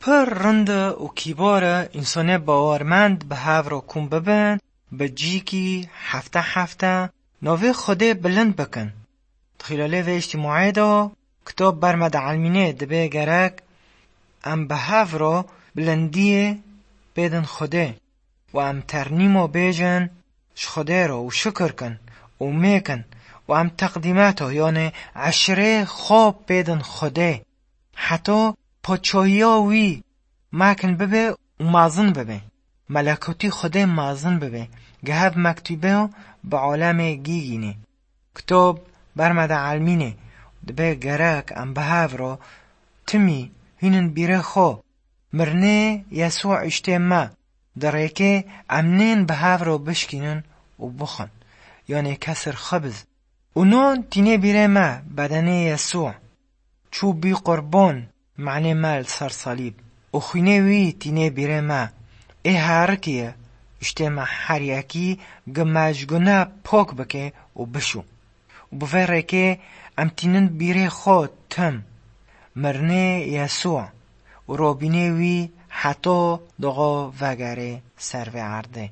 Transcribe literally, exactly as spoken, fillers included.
Pir rind û kîbar e însanê bawermend bi hev re kom bibin, bi cîkî hefte hefte navê Xwedê bilind bikin. Di xîlalê vê îctîmaê de kitab ber me dielmînê, dibê gerek em bi hev re bilindiyê pêdin Xwedê û em ternîmo bêjin ji Xwedê re û şikir kin û mêkin û em teqdîmeta, yanê eşirê xwe pêdin Xwedê. Heta paçahiya wî mekin bibe û mezin bibe. Melekûtî Xwedê mezin bibe. Gehev mektûbe bi alemê gîgînê. Kitab ber me dielmînê, dibê gerek em bi hev re timî hînin bîrê xwe. Mirinê Yesû îştê me. Di rêkê em nên bi hev re bişkînin û bixwin. Yanê kesir xebiz. Û non tînê bîrê me, bedenê Yesû çû bî qurban, manê me li ser salîb. Û xwînê wî tînê bîrê me. Ê herikî ye, îştê me her yekî gi me ji gune pok bike û bişû. Û bi vê rêkê em tînin bîrê xwe tim. Mirinê Yesû û robînê wî heta doxo vegerê ser vê erdê.